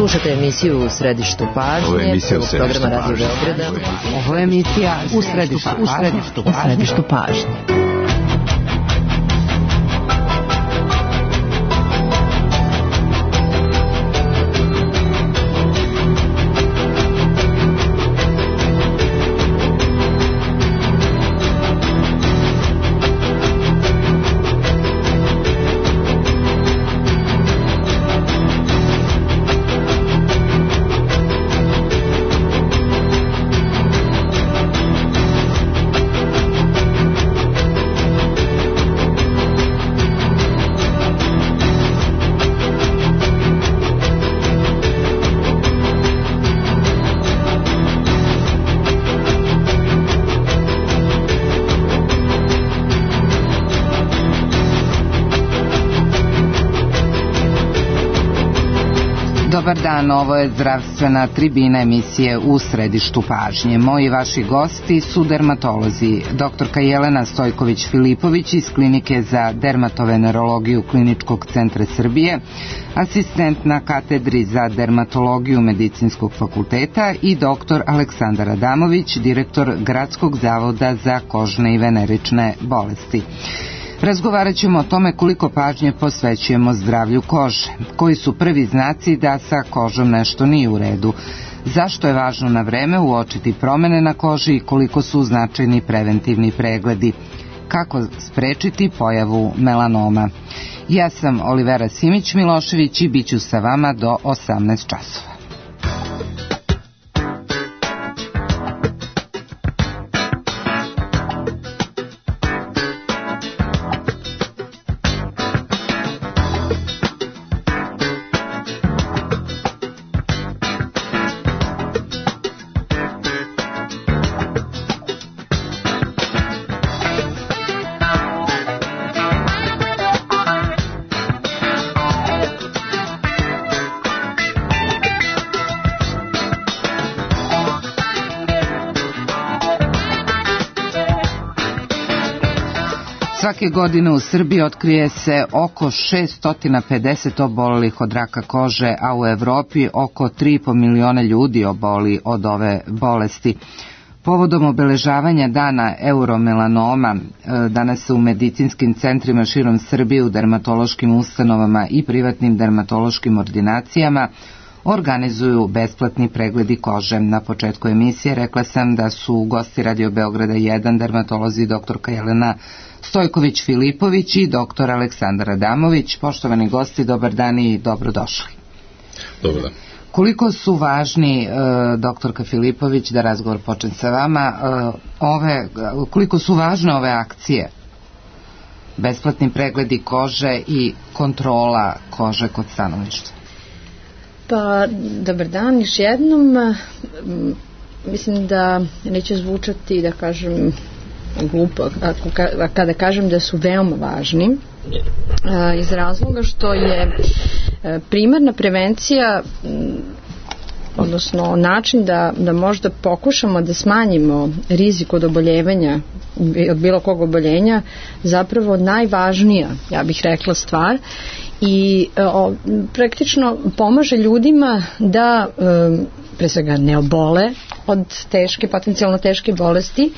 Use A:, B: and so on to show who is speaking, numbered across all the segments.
A: Slušate emisiju U središtu pažnje programa Radio Beograda.
B: Ovo je emisija U središtu pažnje. Dobar dan, ovo je zdravstvena tribina emisije U središtu pažnje. Moji vaši gosti su dermatolozi, doktorka Jelena Stojković-Filipović iz Klinike za dermatovenerologiju Kliničkog centra Srbije, asistent na katedri za dermatologiju Medicinskog fakulteta i doktor Aleksandar Adamović, direktor Gradskog zavoda za kožne i venerične bolesti. Razgovarat ćemo o tome koliko pažnje posvećujemo zdravlju kože, koji su prvi znaci da sa kožom nešto nije u redu, zašto je važno na vreme uočiti promene na koži i koliko su značajni preventivni pregledi, kako sprečiti pojavu melanoma. Ja sam Olivera Simić-Milošević i bit ću sa vama do 18 časova. Svake godine u Srbiji otkrije se oko 650 obolelih od raka kože, a u Evropi oko 3,5 miliona ljudi oboli od ove bolesti. Povodom obeležavanja dana euromelanoma, danas se u medicinskim centrima širom Srbije, u dermatološkim ustanovama i privatnim dermatološkim ordinacijama organizuju besplatni pregledi kože. Na početku emisije rekla sam da su gosti Radio Beograda 1 dermatolozi doktorka Jelena Stojković-Filipović i doktor Aleksandar Adamović. Poštovani gosti, dobar dan i dobrodošli.
C: Dobar dan.
B: Koliko su važni, doktorka Filipović, da razgovor počne sa vama, koliko su važne ove akcije? Besplatni pregledi kože i kontrola kože kod stanovništva.
D: Pa, dobar dan još jednom. Mislim da neće zvučati, da kažem, glupo kada kažem da su veoma važni, iz razloga što je primarna prevencija, odnosno način da možda pokušamo da smanjimo rizik od oboljevanja, od bilo kog oboljenja, zapravo najvažnija, ja bih rekla, stvar i praktično pomaže ljudima da pre svega ne obole od potencijalno teške bolesti,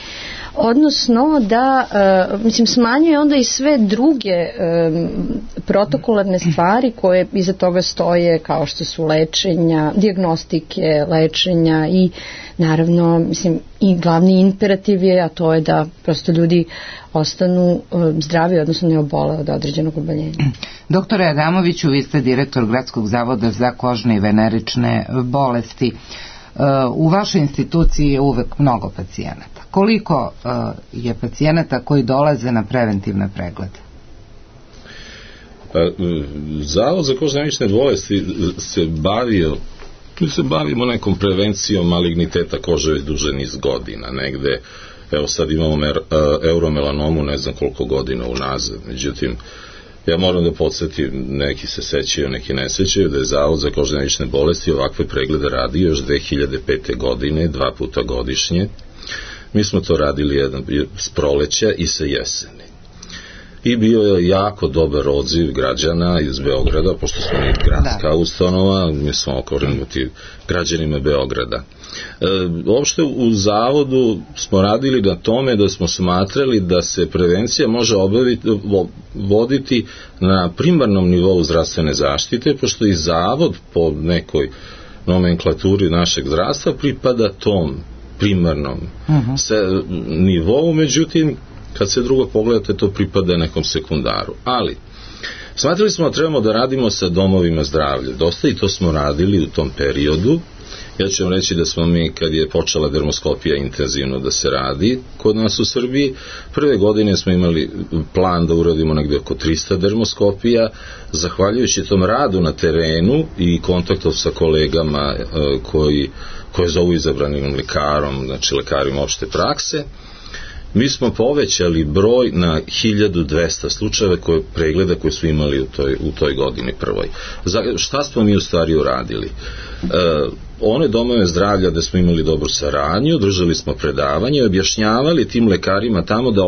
D: odnosno da smanjuje onda i sve druge protokolarne stvari koje iza toga stoje, kao što su lečenja, dijagnostike, lečenja i naravno i glavni imperativ je, a to je da prosto ljudi ostanu zdravi, odnosno ne obole od određenog oboljenja.
B: Doktore Adamoviću, vi ste direktor Gradskog zavoda za kožne i venerične bolesti. U vašoj instituciji je uvek mnogo pacijenata. Koliko je pacijenata koji dolaze na preventivne preglede?
C: Zavod za kožne i venerične bolesti se bavimo nekom prevencijom maligniteta kože već duže niz godina. Negde, evo sad imamo euromelanomu ne znam koliko godina unazad. Međutim, ja moram da podsjetim, neki se sećaju, neki ne sećaju, da je Zavod za kožne i venerične bolesti ovakve preglede radio još 2005. godine, 2 puta godišnje. Mi smo to radili s proleća i sa jeseni. i bio je jako dobar odziv građana iz Beograda, pošto smo mi gradska ustanova, mi smo okrenuti građanima Beograda. Uopšte u zavodu smo radili na tome da smo smatrali da se prevencija može voditi na primarnom nivou zdravstvene zaštite, pošto i zavod po nekoj nomenklaturi našeg zdravstva pripada tom primarnom nivou, međutim kad se drugo pogledate to pripada nekom sekundaru, ali smatrali smo da trebamo da radimo sa domovima zdravlja dosta i to smo radili u tom periodu. Ja ću vam reći da smo mi, kad je počela dermoskopija intenzivno da se radi kod nas u Srbiji, prve godine smo imali plan da uradimo negde oko 300 dermoskopija, zahvaljujući tom radu na terenu i kontaktom sa kolegama koje zovu izabranim lekarom, znači lekarima opšte prakse, mi smo povećali broj na 1200 slučajeva pregleda koje su imali u toj godini prvoj. Šta smo mi u stvari uradili? One domove zdravlja gde smo imali dobru saradnju, držali smo predavanje, objašnjavali tim lekarima tamo da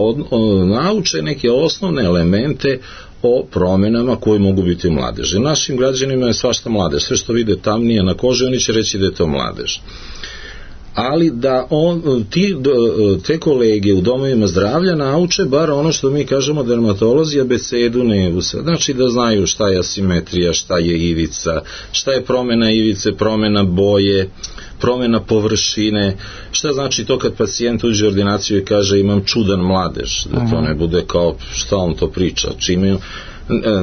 C: nauče neke osnovne elemente o promenama koje mogu biti u mladeži. Našim građanima je svašta mladež, sve što vide tamnije na koži, oni će reći da je to mladež. Ali da te kolege u domovima zdravlja nauče bar ono što mi kažemo dermatolozi, abecedu nevusa. Znači da znaju šta je asimetrija, šta je ivica, šta je promena ivice, promena boje, promena površine, šta znači to kad pacijent uđe u ordinaciju i kaže imam čudan mladež, da to ne bude kao šta on to priča, čime.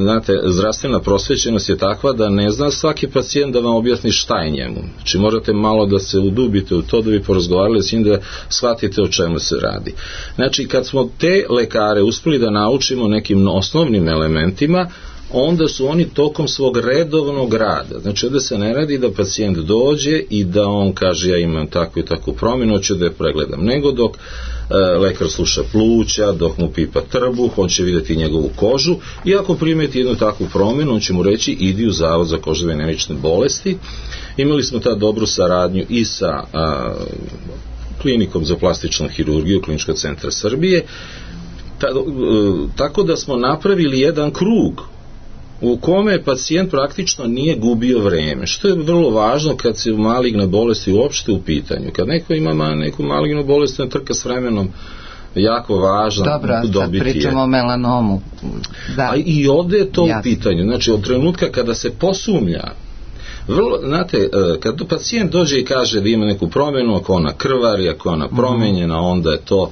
C: Znate, zdravstvena prosvećenost je takva da ne zna svaki pacijent da vam objasni šta je njemu. Znači morate malo da se udubite u to da bi porazgovarali s njim da shvatite o čemu se radi. Znači kad smo te lekare uspeli da naučimo nekim osnovnim elementima, onda su oni tokom svog redovnog rada, znači ovde se ne radi da pacijent dođe i da on kaže ja imam takvu i takvu promjenu, hoću da je pregledam, nego dok lekar sluša pluća, dok mu pipa trbuh, on će vidjeti njegovu kožu i ako primeti jednu takvu promjenu, on će mu reći idi u Zavod za kožne i venerične bolesti. Imali smo ta dobru saradnju i sa klinikom za plastičnu hirurgiju Kliničkog centra Srbije, tako da smo napravili jedan krug u kome pacijent praktično nije gubio vreme, što je vrlo važno kad se maligne bolesti uopšte u pitanju. Kad neko ima neku malignu bolest, on trka s vremenom jako važno dobiti je.
B: Dobro, sad pričamo o melanomu. Da.
C: A i ovde je to u pitanju. Znači, od trenutka kada se posumnja, znate, kad pacijent dođe i kaže da ima neku promjenu, ako ona krvari, ako ona promenjena, onda je to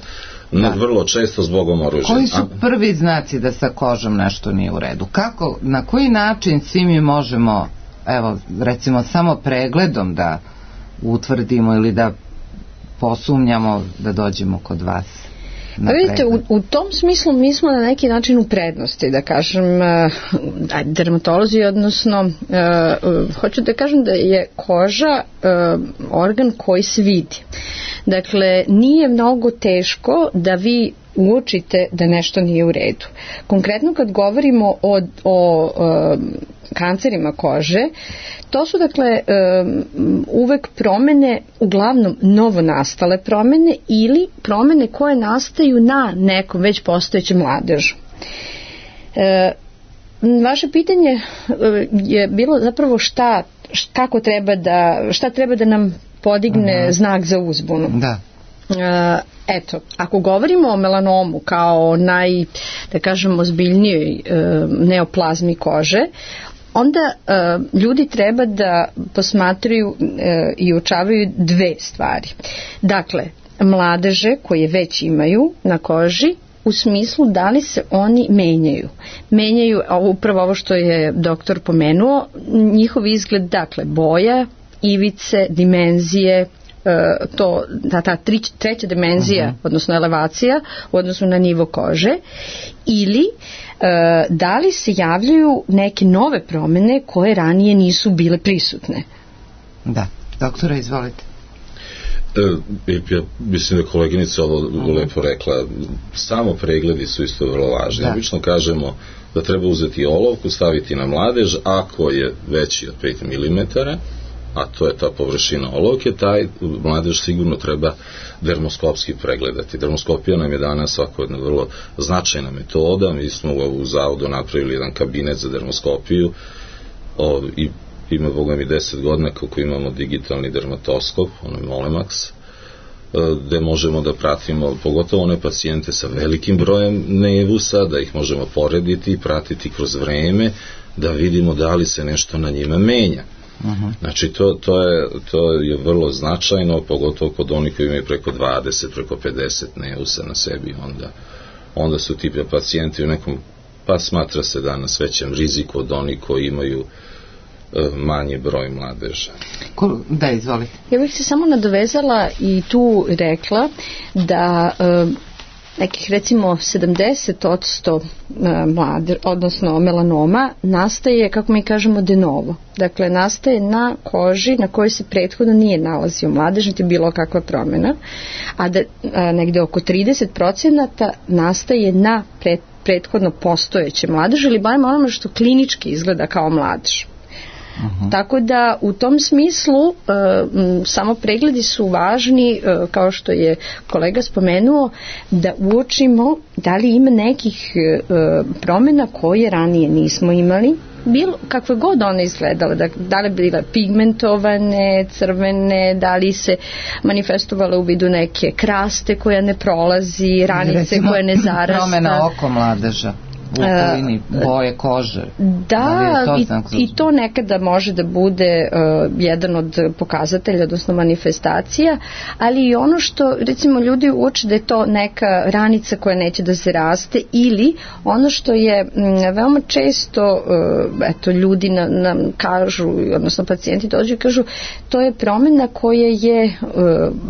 C: vrlo često zbogom oružja.
B: Koji su prvi znaci da sa kožom nešto nije u redu? Kako, na koji način svi mi možemo, evo, recimo samo pregledom da utvrdimo ili da posumnjamo da dođemo kod vas?
D: Vidite, u tom smislu mi smo na neki način u prednosti, da kažem, dermatolozi, odnosno hoću da kažem da je koža organ koji se vidi. Dakle, nije mnogo teško da vi uočite da nešto nije u redu. Konkretno kad govorimo o kancerima kože, to su dakle uvek promene, uglavnom novonastale promene ili promene koje nastaju na nekom već postojećem mladežu. Vaše pitanje je bilo zapravo šta treba da nam podigne znak za uzbunu.
B: Da.
D: Eto, ako govorimo o melanomu kao da kažem, ozbiljnijoj neoplazmi kože, onda ljudi treba da posmatraju i uočavaju dve stvari. Dakle, mladeže koje već imaju na koži, u smislu da li se oni menjaju. Menjaju, upravo ovo što je doktor pomenuo, njihov izgled, dakle, boja, ivice, dimenzije, ta treća dimenzija, odnosno elevacija u odnosu na nivo kože, ili da li se javljaju neke nove promene koje ranije nisu bile prisutne.
B: Da, doktora, izvolite.
C: Ja mislim da koleginica ovo lepo rekla, samo pregledi su isto vrlo važni. Obično kažemo da treba uzeti olovku, staviti na mladež, ako je veći od 5 mm, a to je ta površina olovke, taj mladež sigurno treba dermoskopski pregledati. Dermoskopija nam je danas svako jedna vrlo značajna metoda. Mi smo u zavodu napravili jedan kabinet za dermoskopiju i ima, boga mi, 10 godina kako imamo digitalni dermatoskop, onaj Molemax, gde možemo da pratimo pogotovo one pacijente sa velikim brojem nevusa, da ih možemo porediti i pratiti kroz vreme, da vidimo da li se nešto na njima menja. Znači to je vrlo značajno, pogotovo kod onih koji imaju preko 20, preko 50 nevusa na sebi, onda su ti pacijenti u nekom, pa smatra se danas većem riziku od onih koji imaju manji broj mladeža.
B: Da, izvolite.
D: Ja bih se samo nadovezala i tu rekla da nekih recimo 70% odnosno melanoma nastaje, kako mi kažemo, de novo. Dakle, nastaje na koži na kojoj se prethodno nije nalazio mladež, niti bilo kakva promjena, a da negde oko 30% nastaje na prethodno postojeće mladež ili barem onome što klinički izgleda kao mladež. Tako da u tom smislu samo pregledi su važni, kao što je kolega spomenuo, da uočimo da li ima nekih promjena koje ranije nismo imali, bilo kakve god one izgledale, da li bile pigmentovane, crvene, da li se manifestovale u vidu neke kraste koja ne prolazi, ranice koje ne zarasta.
B: Promjena oko mladeža u okolini boje kože.
D: Da, i to nekada može da bude jedan od pokazatelja, odnosno manifestacija, ali i ono što recimo ljudi uoče da je to neka ranica koja neće da se raste, ili ono što je veoma često ljudi nam kažu, odnosno pacijenti dođu i kažu, to je promjena koja je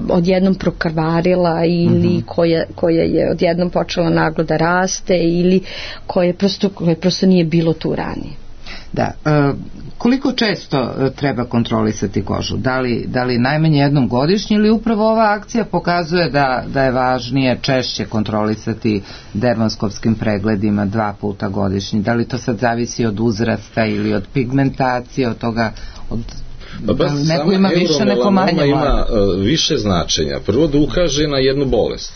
D: odjednom prokrvarila ili koja je odjednom počela naglo da raste ili koje prosto nije bilo tu ranije.
B: Da, koliko često treba kontrolisati kožu? Da li najmanje jednom godišnje ili upravo ova akcija pokazuje da je važnije češće kontrolisati dermoskopskim pregledima 2 puta godišnje? Da li to sad zavisi od uzrasta ili od pigmentacije, od toga, neko ima više, neko manje?
C: Ima više značenja. Prvo da ukaže na jednu bolest.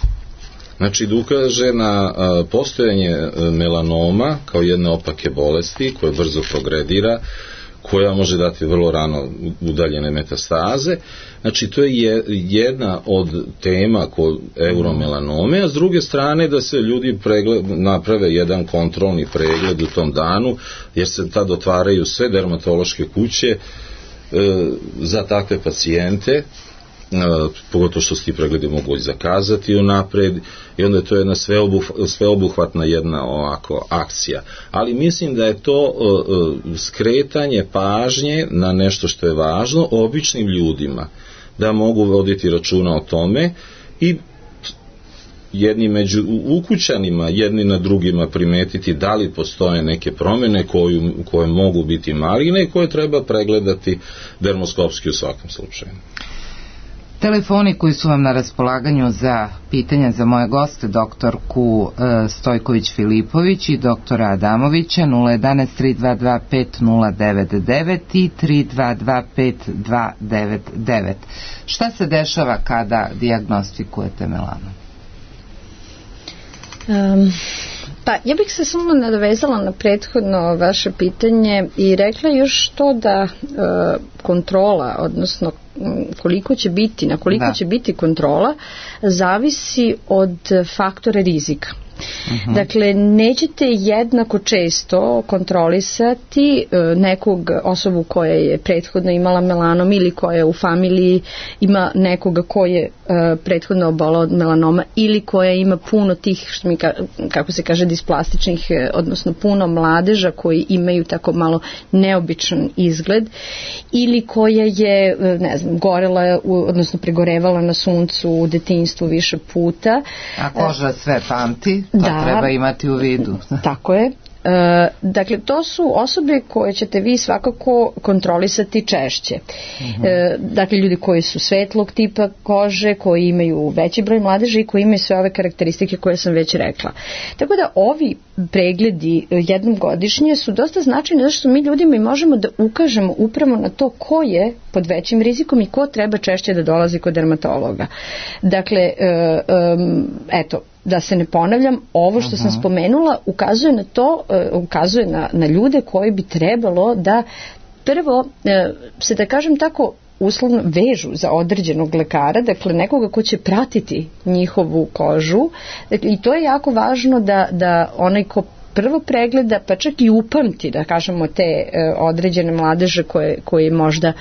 C: Znači da ukaže na postojanje melanoma kao jedne opake bolesti koja brzo progredira, koja može dati vrlo rano udaljene metastaze. Znači to je jedna od tema kod euromelanome, a s druge strane da se ljudi naprave jedan kontrolni pregled u tom danu, jer se tad otvaraju sve dermatološke kuće za takve pacijente, pogotovo što se ti pregledi mogu i zakazati unapred, i onda je to jedna sveobuhvatna jedna ovako akcija. Ali mislim da je to skretanje pažnje na nešto što je važno običnim ljudima, da mogu voditi računa o tome i jedni među ukućanima, jedni na drugima primetiti da li postoje neke promjene koje mogu biti maligne i koje treba pregledati dermoskopski u svakom slučaju.
B: Telefoni koji su vam na raspolaganju za pitanja za moje goste, doktorku Stojković-Filipović i doktora Adamovića, 011 322 5099 i 322 5299. Šta se dešava kada dijagnostikujete melanom?
D: Pa ja bih se samo nadovezala na prethodno vaše pitanje i rekla još to da kontrola, odnosno koliko će biti, na koliko će biti kontrola, zavisi od faktora rizika. Dakle, nećete jednako često kontrolisati nekog osobu koja je prethodno imala melanom ili koja u familiji ima nekoga koji je prethodno obolao od melanoma ili koja ima puno tih, što mi, kako se kaže, displastičnih, odnosno puno mladeža koji imaju tako malo neobičan izgled, ili koja je, ne znam, gorela, odnosno pregorevala na suncu u detinjstvu više puta.
B: A koža sve pamti. To treba imati u vidu.
D: Tako je. Dakle, to su osobe koje ćete vi svakako kontrolisati češće. Dakle, ljudi koji su svetlog tipa kože, koji imaju veći broj mladeža i koji imaju sve ove karakteristike koje sam već rekla. Tako da ovi pregledi jednom godišnje su dosta značajni zato što mi ljudima i možemo da ukažemo upravo na to ko je pod većim rizikom i ko treba češće da dolazi kod dermatologa. Dakle, eto, da se ne ponavljam, ovo što sam spomenula ukazuje na to, ukazuje na ljude koji bi trebalo da prvo se, da kažem tako, uslovno vežu za određenog lekara, dakle nekoga ko će pratiti njihovu kožu, dakle, i to je jako važno da onaj ko prvo pregleda, pa čak i upamti, da kažemo, te određene mladeže koje možda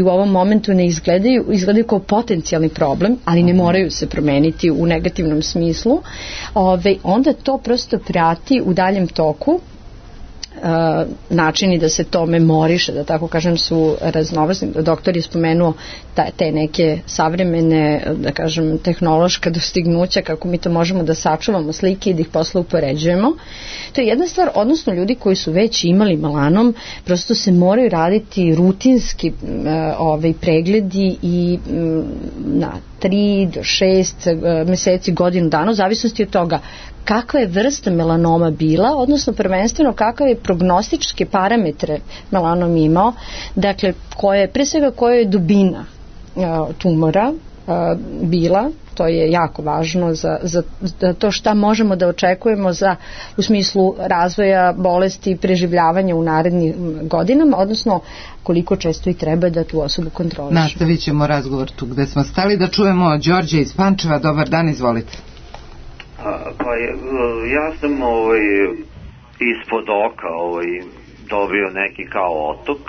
D: u ovom momentu ne izgledaju kao potencijalni problem, ali ne moraju se promeniti u negativnom smislu, onda to prosto prati u daljem toku. Načini da se to memoriše, da tako kažem, su raznovrsni. Doktor je spomenuo te neke savremene, da kažem, tehnološka dostignuća, kako mi to možemo da sačuvamo slike i da ih posle upoređujemo. To je jedna stvar, odnosno ljudi koji su već imali melanom, prosto se moraju raditi rutinski pregledi i na 3 do 6 meseci, godinu dana, u zavisnosti od toga kakva je vrsta melanoma bila, odnosno prvenstveno kakve je prognostičke parametre melanom imao, dakle pre svega koja je dubina tumora bila, to je jako važno za to šta možemo da očekujemo u smislu razvoja bolesti i preživljavanja u narednim godinama, odnosno koliko često i treba da tu osobu kontrolišemo.
B: Nastavit ćemo razgovor tu gde smo stali, da čujemo Đorđe iz Pančeva. Dobar dan, izvolite.
E: Pa ja sam ispod oka dobio neki kao otok.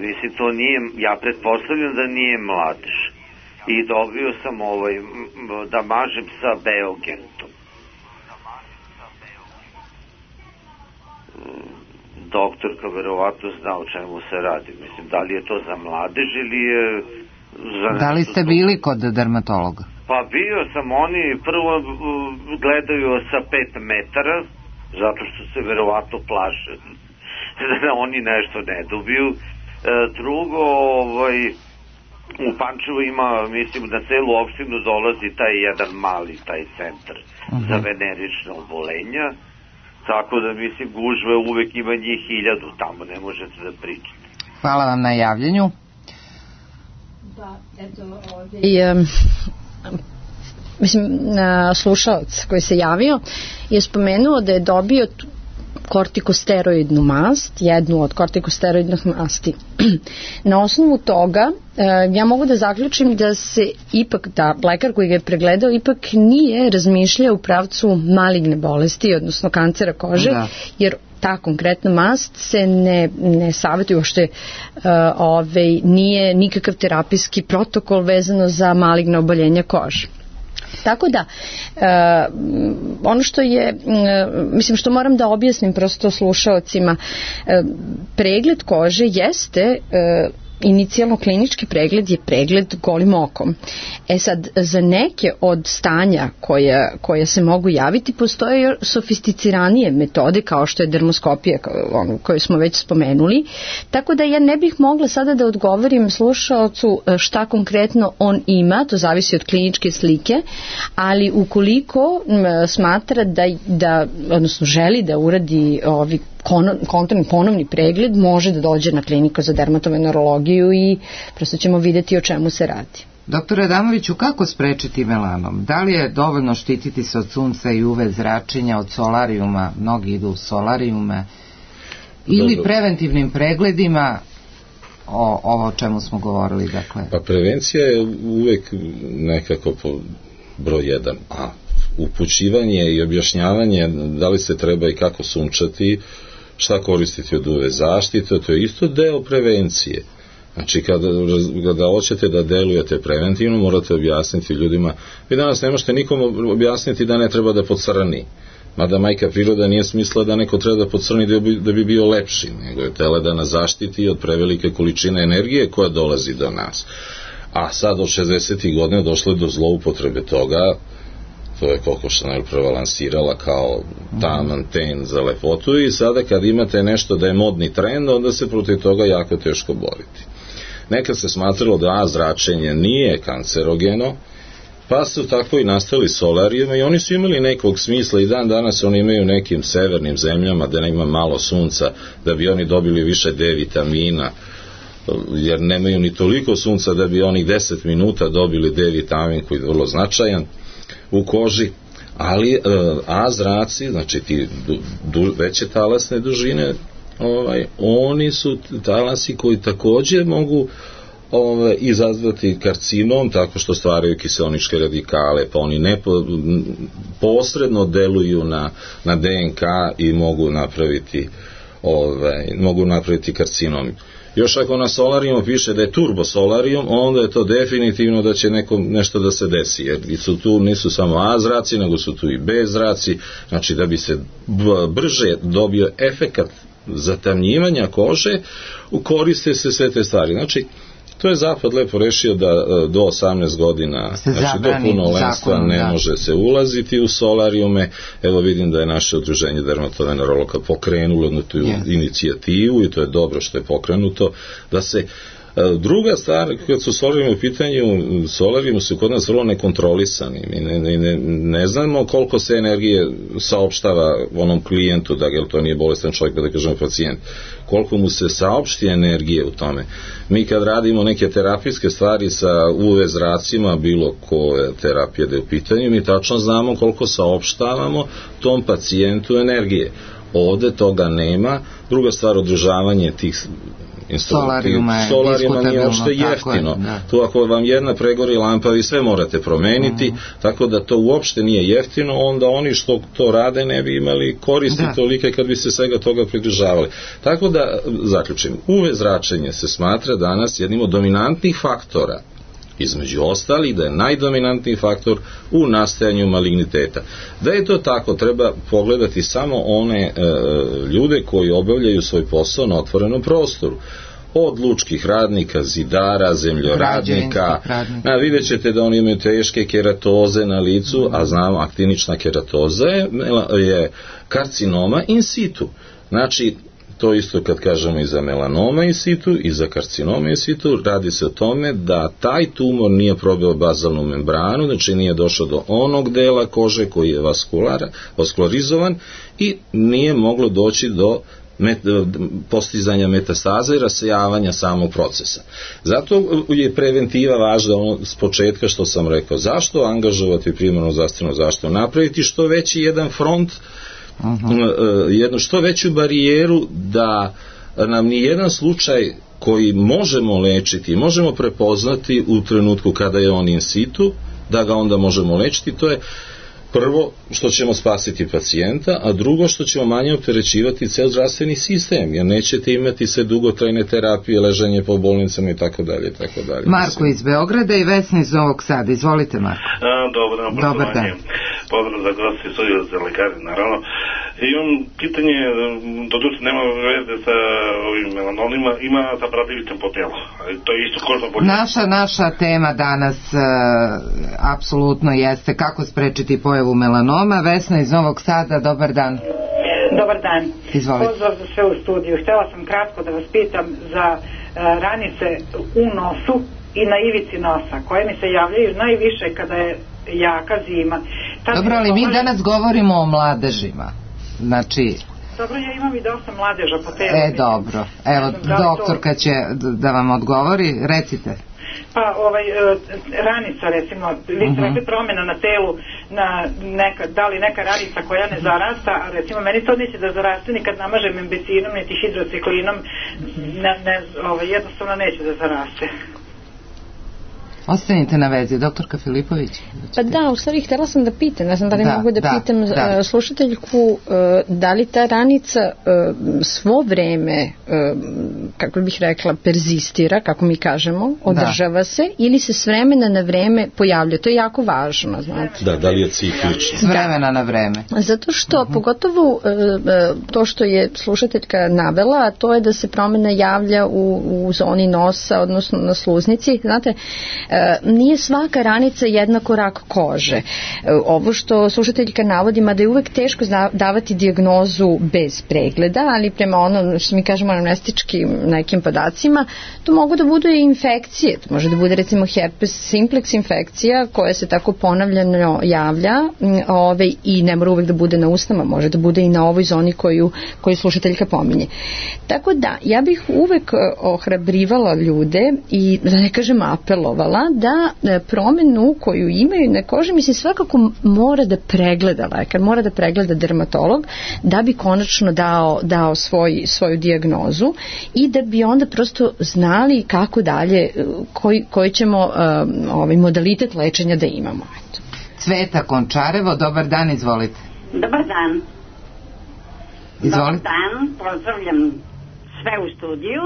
E: Mislim, to nije, ja pretpostavljam da nije mladež. I dobio sam da mažem sa Beogentom. Doktorka verovatno zna o čemu se radi. Mislim, da li je to za mladež ili je za...
B: Da li ste bili kod dermatologa?
E: Pa bio sam, oni prvo gledaju sa 5 metara, zato što se verovatno plaše da oni nešto ne dobiju. Drugo, u Pančevu ima, mislim, na celu opštinu dolazi taj jedan mali, taj centar za venerična obolenja, tako da, mislim, gužve uvek ima njih 1000, tamo ne možete da pričate.
B: Hvala vam na javljanju.
D: Da, eto, ovdje mislim, slušalac koji se javio je spomenuo da je dobio kortikosteroidnu mast, jednu od kortikosteroidnih masti. Na osnovu toga ja mogu da zaključim da se ipak, da lekar koji ga je pregledao ipak nije razmišljao u pravcu maligne bolesti, odnosno kancera kože, jer ta konkretna mast se ne savjetuje, uopšte nije nikakav terapijski protokol vezano za maligne oboljenja kože. Tako da, ono što je, mislim, što moram da objasnim prosto slušaocima, pregled kože jeste inicijalno klinički pregled je pregled golim okom. Sad, za neke od stanja koja se mogu javiti postoje sofisticiranije metode kao što je dermoskopija koju smo već spomenuli, tako da ja ne bih mogla sada da odgovorim slušaocu šta konkretno on ima, to zavisi od kliničke slike, ali ukoliko smatra da odnosno želi da uradi kontrolni ponovni pregled, može da dođe na kliniku za dermatovenerologiju i prosto ćemo videti o čemu se radi.
B: Doktore Adamoviću, kako sprečiti melanom? Da li je dovoljno štititi se od sunca i UV zračenja, od solarijuma, mnogi idu u solarijume, ili preventivnim pregledima, ovo o čemu smo govorili? Dakle.
C: Pa prevencija je uvek nekako broj 1, a upućivanje i objašnjavanje da li se treba i kako sunčati, šta koristiti od UV zaštite, to je isto deo prevencije. Znači, kada hoćete da delujete preventivno, morate objasniti ljudima. Vi danas ne možete nikom objasniti da ne treba da pocrni. Mada majka priroda nije smisla da neko treba da pocrni da bi bio lepši, nego je tela da nas zaštiti od prevelike količine energije koja dolazi do nas. A sad od 60. godina došlo je do zloupotrebe toga, to je Coco Chanel prevalansirala kao taman ten za lepotu, i sada kad imate nešto da je modni trend, onda se protiv toga jako teško boriti. Nekad se smatralo da zračenje nije kancerogeno, pa su tako i nastali solarijumi, i oni su imali nekog smisla, i dan danas oni imaju u nekim severnim zemljama da nema malo sunca, da bi oni dobili više D vitamina, jer nemaju ni toliko sunca da bi onih 10 minuta dobili D vitamin koji je vrlo značajan u koži, ali A zraci, znači ti veće talasne dužine, oni su talasi koji također mogu izazvati karcinom tako što stvaraju kiseoničke radikale, pa oni posredno deluju na DNK i mogu napraviti karcinom. Još ako na solarijumu piše da je turbosolarijum, onda je to definitivno da će nešto da se desi, jer tu nisu samo A zraci, nego su tu i B zraci, znači da bi se brže dobio efekat zatamnjivanja kože, koriste se sve te stvari. Znači, to je Zapad lepo rešio da do 18 godina, znači do punolenstva ne može se ulaziti u solarijume. Evo vidim da je naše udruženje dermatovenerologa pokrenulo na tu inicijativu, i to je dobro što je pokrenuto, da se druga stvar, kad su solarijumi u pitanju, solarijumi su kod nas vrlo nekontrolisani. Mi ne znamo koliko se energije saopštava onom klijentu, jer to nije bolestan čovjek, da kažemo pacijent, koliko mu se saopšti energije u tome. Mi kad radimo neke terapijske stvari sa UV zracima, bilo koje terapije da je u pitanju, mi tačno znamo koliko saopštavamo tom pacijentu energije. Ovde toga nema. Druga stvar, održavanje tih
B: solarijuma
C: nije uopšte jeftino. Tu ako vam jedna pregori lampa, vi sve morate promeniti, tako da to uopšte nije jeftino, onda oni što to rade ne bi imali koristi tolike kad bi se svega toga pridržavali. Tako da, zaključim, UV zračenje se smatra danas jednim od dominantnih faktora, između ostalih da je najdominantniji faktor u nastajanju maligniteta. Da je to tako, treba pogledati samo one ljude koji obavljaju svoj posao na otvorenom prostoru. Od lučkih radnika, zidara, zemljoradnika, vidjet ćete da oni imaju teške keratoze na licu, a znamo aktinična keratoza je karcinoma in situ. Znači, to isto kad kažemo i za melanoma in situ i za karcinoma in situ, radi se o tome da taj tumor nije probio bazalnu membranu, znači nije došao do onog dela kože koji je vaskularizovan i nije moglo doći do postizanja metastaza i rasejavanja samog procesa. Zato je preventiva važna s početka što sam rekao. Zašto angažovati primarnu zdravstvenu zaštitu? Napraviti što veći jedan front, jednu što veću barijeru da nam ni jedan slučaj koji možemo lečiti, možemo prepoznati u trenutku kada je on in situ, da ga onda možemo lečiti. To je prvo što ćemo spasiti pacijenta, a drugo što ćemo manje opterećivati ceo zdravstveni sistem, jer nećete imati sve dugotrajne terapije, ležanje po bolnicama i tako dalje.
B: Marko iz Beograda i Vesna iz Novog Sada. Izvolite, Marko.
F: Dobar dan. Pozdrav za gosti, studiju za lekari, naravno. Imam pitanje, doduše nema veze sa ovim melanonima, ima sa bradavitim po telu. To je isto kožno bolje.
B: Naša tema danas apsolutno jeste kako sprečiti pojavu melanoma. Vesna iz Novog Sada, dobar dan.
G: Dobar dan.
B: Izvolite.
G: Pozdrav za sve u studiju. Htela sam kratko da vas pitam za ranice u nosu i na ivici nosa, koje mi se javljaju najviše kada je jaka zima.
B: Dobro, ali mi danas govorimo o mladežima. Znači...
G: Dobro, ja imam i dosta mladeža po telu.
B: Dobro. Evo, doktorka će da vam odgovori. Recite.
G: Pa, ranica, recimo, vi ste rekli promjena na telu, da li neka ranica koja ne zarasta, a recimo, meni to neće da zaraste ni kad namažem imbecinom, niti hidrociklinom, jednostavno neće da zaraste.
B: Ostanite na vezi, doktorka Filipović.
D: Pa da, u stvari htjela sam da pitam, ne znam da li mogu da pitam slušateljku, da li ta ranica svo vreme, kako bih rekla, perzistira, kako mi kažemo, održava se, ili se s vremena na vreme pojavlja. To je jako važno, znate.
C: Da li je ciklično?
B: S vremena na vreme.
D: Zato što, pogotovo to što je slušateljka navela, to je da se promjena javlja u zoni nosa, odnosno na sluznici, znate. nije svaka ranica jednako rak kože. Ovo što slušateljka navodi, mada je uvek teško davati dijagnozu bez pregleda, ali prema ono što mi kažemo anamnestičkim nekim podacima, to mogu da budu i infekcije. To može da bude recimo herpes simplex infekcija koja se tako ponavljano javlja i ne mora uvek da bude na usnama, može da bude i na ovoj zoni koju slušateljka pominje. Tako da, ja bih uvek ohrabrivala ljude i, da ne kažem apelovala, da promenu koju imaju na koži, mislim, svakako mora da pregleda lekar, mora da pregleda dermatolog, da bi konačno dao svoju dijagnozu i da bi onda prosto znali kako dalje, koji ćemo modalitet lečenja da imamo.
B: Cveta Končarevo, dobar dan, izvolite.
H: Dobar dan.
B: Izvolite.
H: Dobar dan, pozdravljam sve u studiju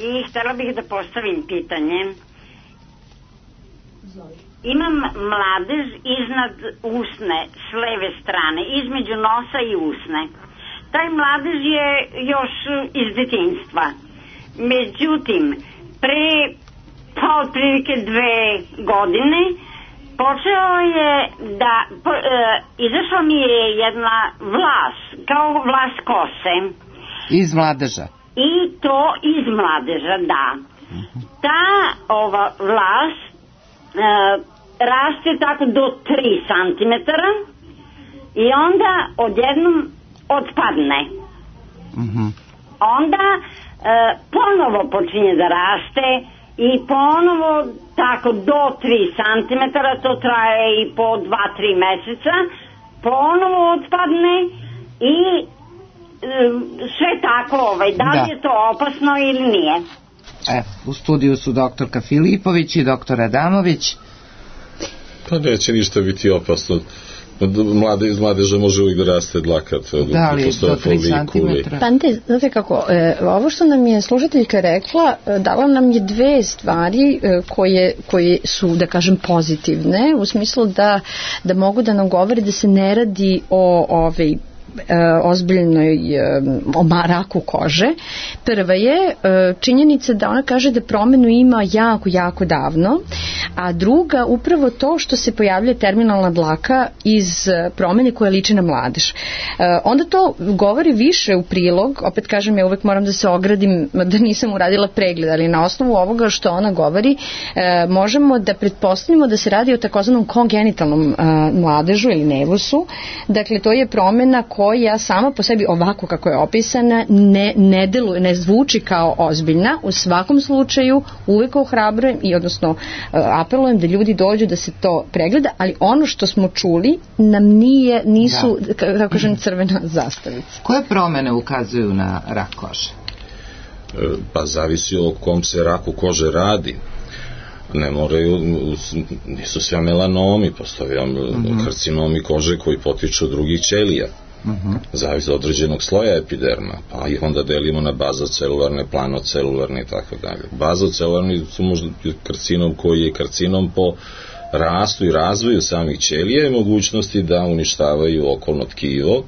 H: i htjela bih da postavim pitanje. Imam mladež iznad usne s leve strane, između nosa i usne. Taj mladež je još iz detinjstva. Međutim, pre otprilike 2 godine počeo je da izašla mi je jedna vlas, kao vlas kose.
B: Iz mladeža?
H: I to iz mladeža, da. Ta vlas raste tako do 3 centimetara i onda odjednom odpadne. Onda ponovo počinje da raste i ponovo tako do 3 centimetara, to traje i po 2-3 meseca, ponovo otpadne i sve tako, da li je to opasno ili nije?
B: U studiju su doktorka Filipović i doktor Adamović.
C: Pa neće ništa biti opasno. Iz mladeža može uvijek da raste dlaka.
B: Da li do 3 cm?
D: Pa znate kako, ovo što nam je slušateljka rekla, dala nam je 2 stvari koje su, da kažem, pozitivne, u smislu da mogu da nam govori da se ne radi o ozbiljnoj raku kože. Prva je činjenica da ona kaže da promenu ima jako davno, a druga upravo to što se pojavlja terminalna dlaka iz promene koja liči na mladež. Onda to govori više u prilog, opet kažem, ja uvek moram da se ogradim da nisam uradila pregled, ali na osnovu ovoga što ona govori možemo da pretpostavimo da se radi o takozvanom kongenitalnom mladežu ili nevusu. Dakle, to je promena koja sama po sebi ovako kako je opisana ne deluje, ne zvuči kao ozbiljna. U svakom slučaju uvek ohrabrujem i odnosno apelujem da ljudi dođu da se to pregleda, ali ono što smo čuli nam nisu, kako kažem, crvena zastavica.
B: Koje promene ukazuju na rak kože?
C: Pa zavisi o kom se raku kože radi. Ne moraju, nisu sve melanomi, postoje karcinomi kože koji potiču od drugih ćelija. Zavisi od određenog sloja epiderma, pa ih onda delimo na bazocelularne, planocelularne i tako dalje. Bazocelularni su možda karcinom koji je karcinom po rastu i razvoju samih ćelija i mogućnosti da uništavaju okolno tkivo,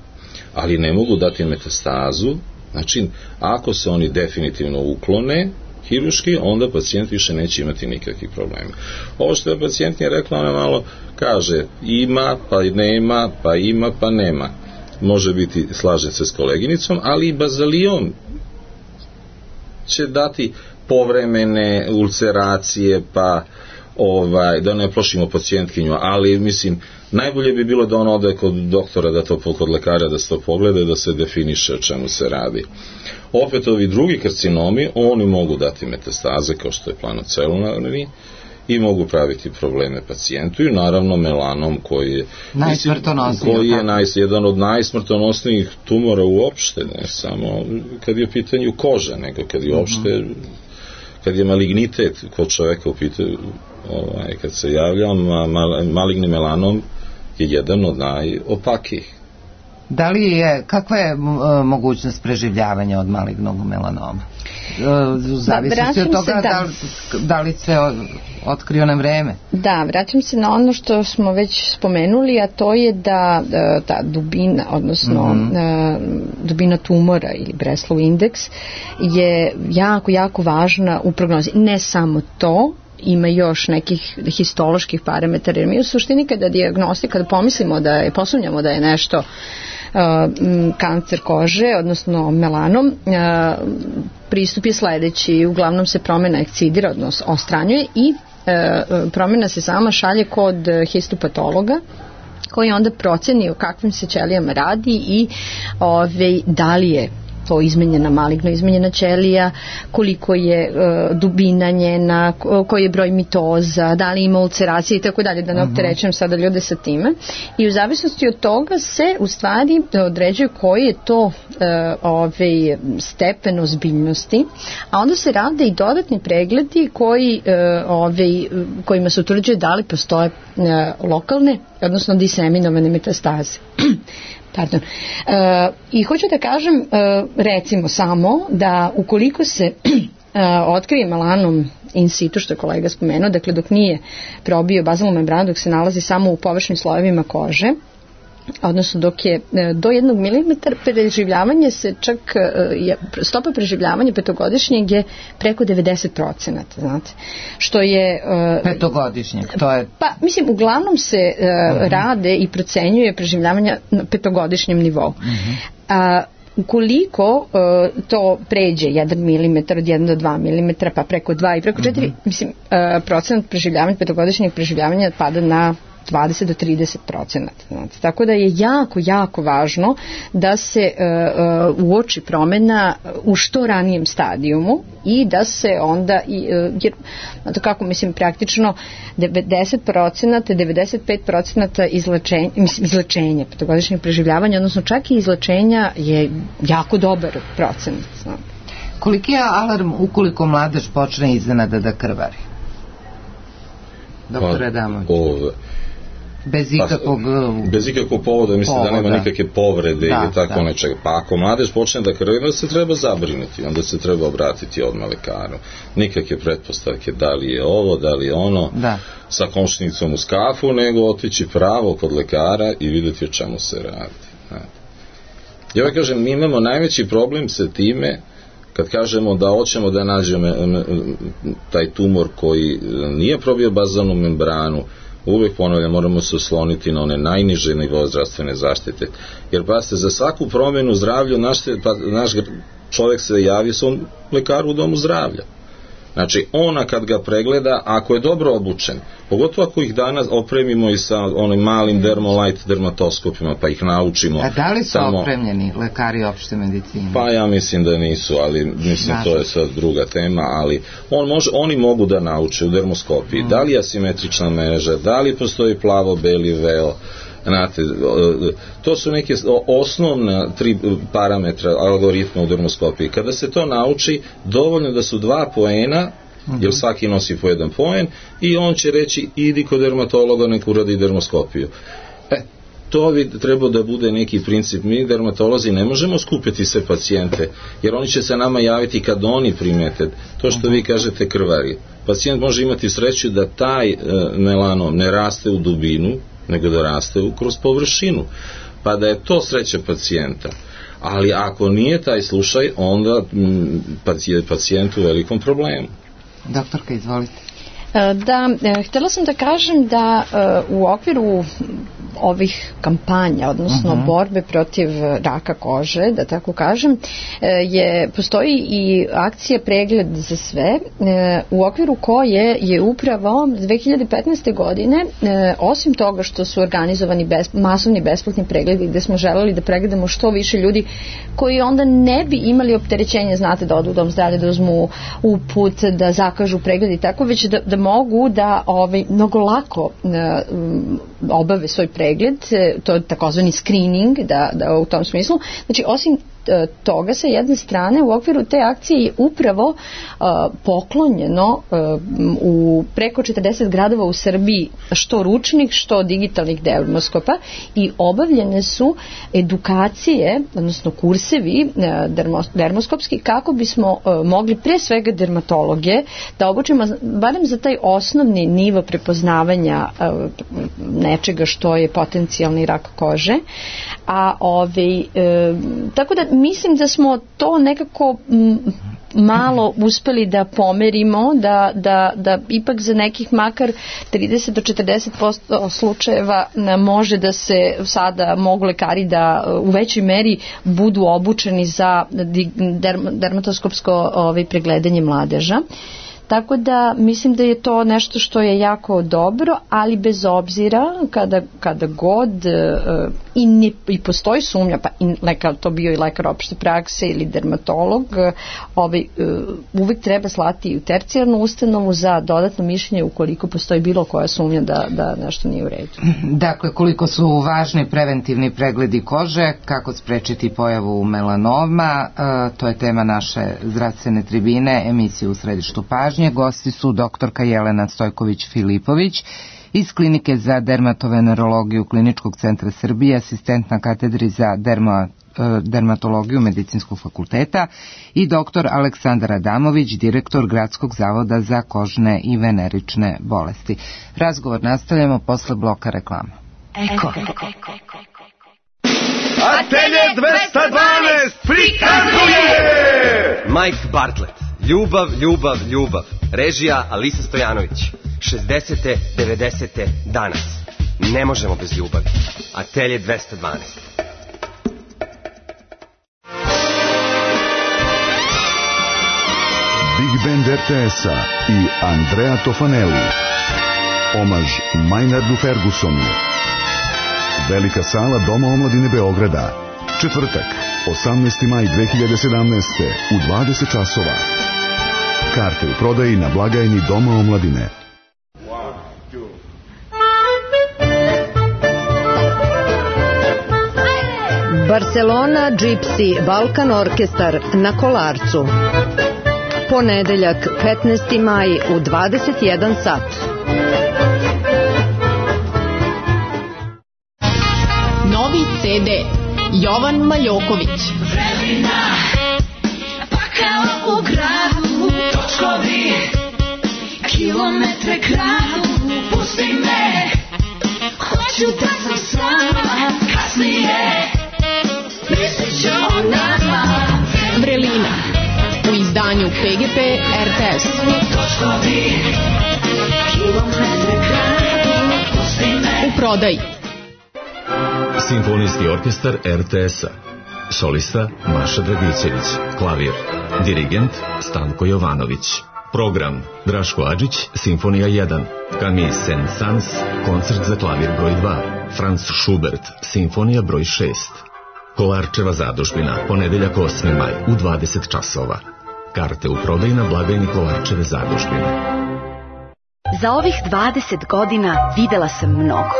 C: ali ne mogu dati metastazu. Znači, ako se oni definitivno uklone hiruški, onda pacijent više neće imati nikakvih problema. Ovo što je pacijentnija rekla, ona malo kaže ima, pa nema, pa ima, pa nema. Može biti, slažem se s koleginicom, ali i bazaliom će dati povremene ulceracije, pa da ne plošimo pacijentkinju, ali mislim, najbolje bi bilo da ona ode kod doktora, kod lekara da se to pogleda, da se definiše o čemu se radi. Opet ovi drugi karcinomi, oni mogu dati metastaze kao što je planocelularni i mogu praviti probleme pacijentu i naravno melanom koji je jedan od najsmrtonosnijih tumora uopšte, ne samo kad je u pitanju kože, nego kad je uopšte, kad je malignitet kod čoveka u pitanju, kad se javlja maligni melanom je jedan od najopakijih.
B: Da li je, kakva je mogućnost preživljavanja od malignog melanoma? Zavisnosti od toga da li se otkriju na vreme.
D: Da, vraćam se na ono što smo već spomenuli, a to je da ta dubina, odnosno dubina tumora ili Breslow indeks je jako važna u prognozi. Ne samo to, ima još nekih histoloških parametara, jer mi u suštini kada pomislimo posumnjamo da je nešto kancer kože, odnosno melanom, pristup je sledeći, uglavnom se promjena ekcidira, odnosno ostranjuje i promjena se sama šalje kod histopatologa koji onda proceni o kakvim se ćelijama radi i da li je to maligno izmenjena ćelija, koliko je dubina njena, koji je broj mitoza, da li ima ulceracije i tako dalje, da ne opterećujem sada ljude sa time. I u zavisnosti od toga se u stvari određuje koji je to stepen ozbiljnosti, a onda se rade i dodatni pregledi kojima se utvrđuje da li postoje lokalne, odnosno diseminovane metastaze. Pardon. I hoću da kažem, recimo samo, da ukoliko se otkrije melanom in situ, što je kolega spomenuo, dakle dok nije probio bazalnu membranu, dok se nalazi samo u površnim slojevima kože, odnosno dok je do 1 mm, preživljavanje se čak, stopa preživljavanja petogodišnjeg je preko 90%, znate, što je...
B: Petogodišnjeg, to je...
D: Pa, mislim, uglavnom se rade i procenjuje preživljavanja na petogodišnjem nivou. Ukoliko to pređe 1 mm, od 1 do 2 mm, pa preko 2 i preko 4, mislim, procenat preživljavanja, petogodišnjeg preživljavanja pada na 20 do 30%. Tako da je jako, jako važno da se uoči promjena u što ranijem stadijumu i da se onda, jer kako mislim praktično 90%, 95% izlečenja petogodišnjeg preživljavanja, odnosno čak i izlečenja je jako dobar procenat.
B: Koliki je alarm ukoliko mladež počne iznenada da krvari? Doktore Adamović.
C: Bez ikakvog povoda, mislim da nema nikakve povrede ili tako nečega. Pa ako mladež počne da krvi, onda se treba zabrinuti, onda se treba obratiti odmah lekaru. Nikakve pretpostavke da li je ovo, da li je ono, sa komšinicom uz kafu, nego otići pravo kod lekara i vidjeti o čemu se radi. Ja kažem, mi imamo najveći problem sa time kad kažemo da hoćemo da nađemo taj tumor koji nije probio bazalnu membranu. Uvijek ponavljam, moramo se osloniti na one najniže nivoe zdravstvene zaštite. Jer pazite, za svaku promjenu zdravlja naš čovjek se javi svom lekaru u domu zdravlja. Znači, ona kad ga pregleda, ako je dobro obučen, pogotovo ako ih danas opremimo i sa onim malim dermolight dermatoskopima, pa ih naučimo.
B: A da li su opremljeni lekari opšte medicine?
C: Pa ja mislim da nisu, ali mislim to je sad druga tema, ali oni mogu da nauče u dermoskopiji. Da li je asimetrična mreža, da li postoji plavo-beli veo, znate, to su neke osnovna 3 parametra algoritma u dermoskopiji. Kada se to nauči, dovoljno da su 2 poena, jer svaki nosi po 1 poen, i on će reći idi kod dermatologa, nek uradi dermoskopiju. To bi trebao da bude neki princip. Mi dermatolozi ne možemo skupiti sve pacijente, jer oni će se nama javiti kad oni primete to što vi kažete krvari. Pacijent može imati sreću da taj melanom ne raste u dubinu, nego da raste kroz površinu, pa da je to sreća pacijenta. Ali ako nije taj slučaj, onda je pacijent u velikom problemu.
B: Doktorka, izvolite.
D: Da, htjela sam da kažem da u okviru ovih kampanja, odnosno borbe protiv raka kože, da tako kažem, postoji i akcija Pregled za sve, u okviru koje je upravo 2015. godine, osim toga što su organizovani masovni besplatni pregledi gde smo želeli da pregledamo što više ljudi koji onda ne bi imali opterećenje, znate, da odu u dom zdravlja, da uzmu uput, da zakažu pregled i tako, već da mogu da mnogo lako obave svoj pregled, to je takozvani screening, da u tom smislu. Znači, osim toga, sa jedne strane, u okviru te akcije je upravo poklonjeno u preko 40 gradova u Srbiji što ručnih, što digitalnih dermoskopa i obavljene su edukacije, odnosno kursevi dermoskopski, kako bismo mogli pre svega dermatologe da obučimo barem za taj osnovni nivo prepoznavanja nečega što je potencijalni rak kože. Tako da mislim da smo to nekako malo uspeli da pomerimo, da ipak za nekih makar 30 do 40% slučajeva može da se sada mogu lekari da u većoj meri budu obučeni za dermatoskopsko pregledanje mladeža. Tako da mislim da je to nešto što je jako dobro, ali bez obzira kada god i postoji sumnja, pa i lekar, to bio i lekar opšte prakse ili dermatolog, uvek treba slati u tercijarnu ustanovu za dodatno mišljenje ukoliko postoji bilo koja sumnja da nešto nije u redu.
B: Dakle, koliko su važni preventivni pregledi kože, kako sprečiti pojavu melanoma, to je tema naše zdravstvene tribine, emisije U središtu pažnje. Gosti su doktorka Jelena Stojković-Filipović iz Klinike za dermatovenerologiju Kliničkog centra Srbije, asistent na katedri za dermatologiju Medicinskog fakulteta, i doktor Aleksandar Adamović, direktor Gradskog zavoda za kožne i venerične bolesti. Razgovor nastavljamo posle bloka reklama.
I: Eko. Atelje 212 prikazuje
J: Mike Bartlett. Ljubav, ljubav, ljubav. Režija Alisa Stojanović. 60. 90. danas. Ne možemo bez ljubavi. Atelje 212.
K: Big Band RTS-a i Andrea Tofanelli. Omaž Maynardu Fergusonu. Velika sala Doma omladine Beograda. Četvrtak, 18. maj 2017. u 20 časova. Karte u prodaji na blagajni Doma omladine.
L: Barcelona Gypsy Balkan Orkestar na Kolarcu. Ponedeljak, 15. maj u 21 sat.
M: Novi CD Jovan Maljoković.
N: Vremena, pakao u gradu, točkovi, kilometre kradu, pusti me, hoću da sam sama, kasnije, mislit ću o nama.
M: Vrelina, u izdanju PGP RTS.
N: Točkovi, kilometre kradu, pusti me.
M: U prodaji
O: Simfonijski orkestar RTS-a. Solista Maša Dragićević. Klavir. Dirigent Stanko Jovanović. Program Draško Adžić, Simfonija 1. Camille Saint-Saëns, koncert za klavir broj 2. Franz Schubert, Simfonija broj 6. Kolarčeva zadužbina, ponedeljak 8. maj u 20 časova. Karte u prodaji na blagajni Kolarčeve zadužbine.
P: Za ovih 20 godina videla sam mnogo.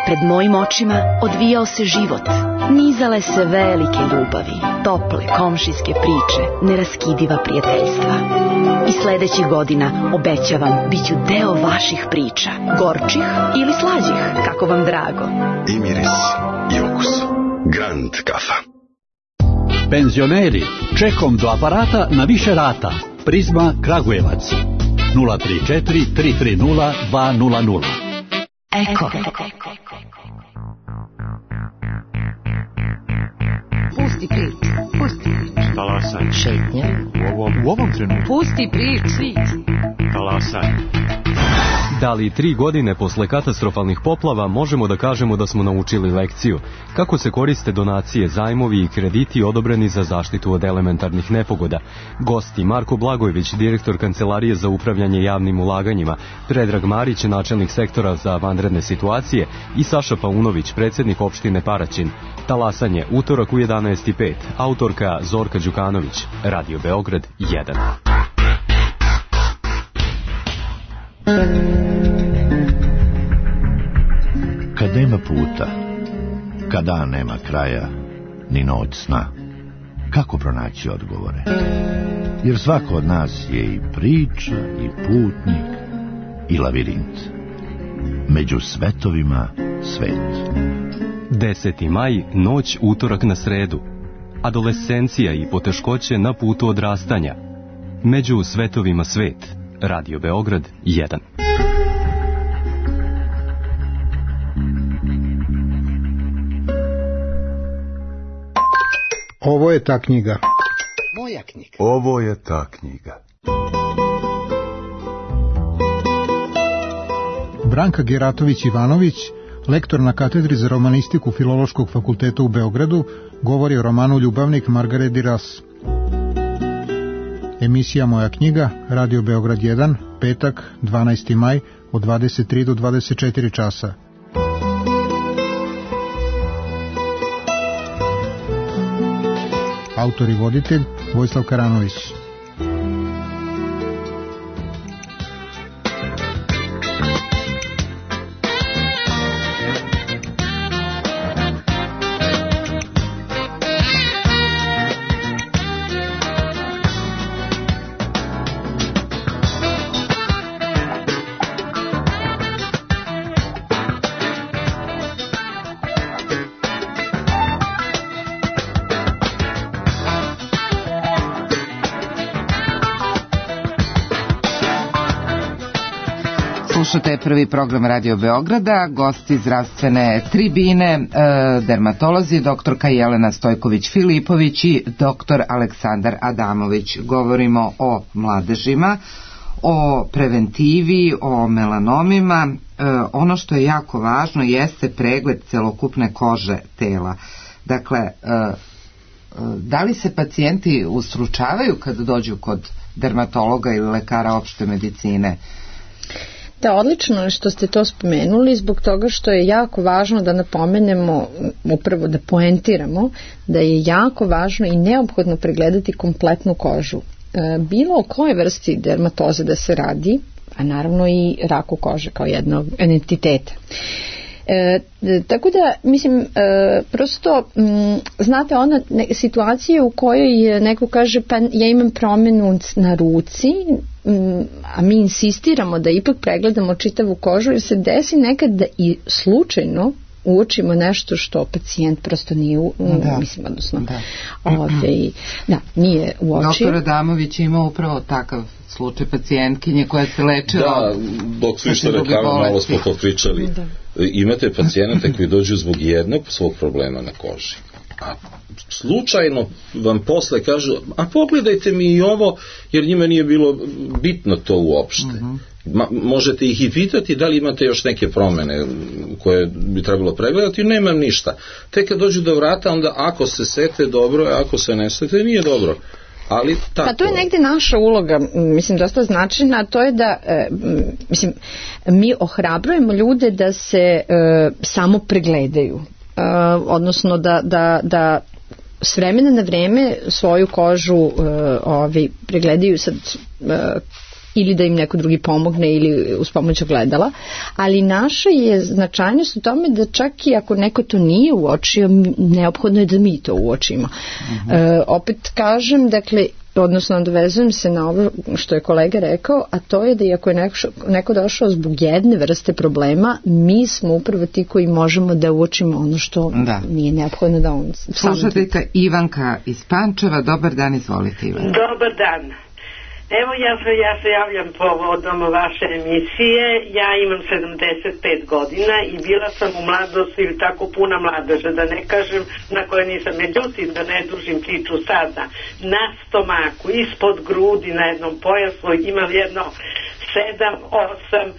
P: Pred mojim očima odvijao se život. Nizale se velike ljubavi, tople komšijske priče, neraskidiva prijateljstva. I sledećih godina, obećavam, bit ću deo vaših priča. Gorčih ili slađih, kako vam drago.
Q: I miris, i okus. Grand kafa.
R: Penzioneri, čekom do aparata na više rata. Prizma Kragujevac. 034 330 200.
L: Eko. Pusti prič.
S: Talasaj.
L: Šetnja.
S: U ovom trenutku.
L: Pusti prič.
S: Talasaj.
T: Da li 3 godine posle katastrofalnih poplava možemo da kažemo da smo naučili lekciju? Kako se koriste donacije, zajmovi i krediti odobreni za zaštitu od elementarnih nepogoda? Gosti Marko Blagojević, direktor Kancelarije za upravljanje javnim ulaganjima, Predrag Marić, načelnik sektora za vanredne situacije, i Saša Paunović, predsjednik opštine Paraćin. Talasanje, utorak u 11:05. Autorka Zorka Đukanović. Radio Beograd 1.
U: Kad nema puta, kad dan nema kraja, ni noć sna, kako pronaći odgovore? Jer svako od nas je i priča, i putnik, i lavirint. Među svetovima svet.
T: 10. maj, noć utorak na sredu. Adolescencija i poteškoće na putu odrastanja. Među svetovima svet. Radio Beograd 1.
V: Ovo je ta knjiga.
A: Moja knjiga.
K: Ovo je ta knjiga.
V: Branka Geratović-Ivanović, lektor na katedri za romanistiku Filološkog fakulteta u Beogradu, govori o romanu Ljubavnik Margaret Duras. Emisija Moja knjiga, Radio Beograd 1, petak, 12. maj, od 23 do 24 časa. Autor i voditelj Vojislav Karanović.
B: Slušate prvi program Radio Beograda, gosti zdravstvene tribine, dermatolozi, doktorka Jelena Stojković-Filipović i doktor Aleksandar Adamović. Govorimo o mladežima, o preventivi, o melanomima. Ono što je jako važno jeste pregled celokupne kože tela. Dakle, da li se pacijenti ustručavaju kad dođu kod dermatologa ili lekara opšte medicine?
D: Da, odlično je što ste to spomenuli, zbog toga što je jako važno da napomenemo, upravo da poentiramo, da je jako važno i neophodno pregledati kompletnu kožu. Bilo o koje vrsti dermatoze da se radi, a naravno i raku kože kao jednog entiteta. Tako da, mislim, prosto, znate, ona situacija u kojoj neko kaže pa ja imam promenu na ruci, a mi insistiramo da ipak pregledamo čitavu kožu, jer se desi nekad da i slučajno uočimo nešto što pacijent prosto nije mislim, odnosno nije uočio.
B: Doktor Adamović ima upravo takav slučaj pacijentkinje koja se lečila.
C: Da, dok su išli reklama, malo smo popričali. Imate pacijente koji dođu zbog jednog svog problema na koži, a slučajno vam posle kažu, a pogledajte mi i ovo, jer njima nije bilo bitno to uopšte. Možete ih i pitati da li imate još neke promene koje bi trebalo pregledati, nemam ništa. Tek kad dođu do vrata, onda ako se sete dobro, ako se ne sete nije dobro. Ali tako.
D: Pa to je negde naša uloga, mislim, dosta značajna, a to je da mislim, mi ohrabrujemo ljude da se samo pregledaju, odnosno da s vremena na vreme svoju kožu pregledaju sad ili da im neko drugi pomogne ili uz pomoć ogledala, ali naša je značajnost u tome da čak i ako neko to nije uočio, neophodno je da mi to uočimo. Opet kažem, dakle, odnosno nadovezujem se na ovo što je kolega rekao, a to je da iako je neko došao zbog jedne vrste problema, mi smo upravo ti koji možemo da uočimo ono što nije neophodno da on...
B: Slušateljka Ivanka iz Pančeva, dobar dan, izvolite Ivanka.
W: Dobar dan. Evo ja se javljam povodom vaše emisije. Ja imam 75 godina i bila sam u mladosti ili tako puna mladeža, da ne kažem na koje nisam. Međutim, da ne dužim priču sada, na stomaku, ispod grudi, na jednom pojasu imam jedno 7-8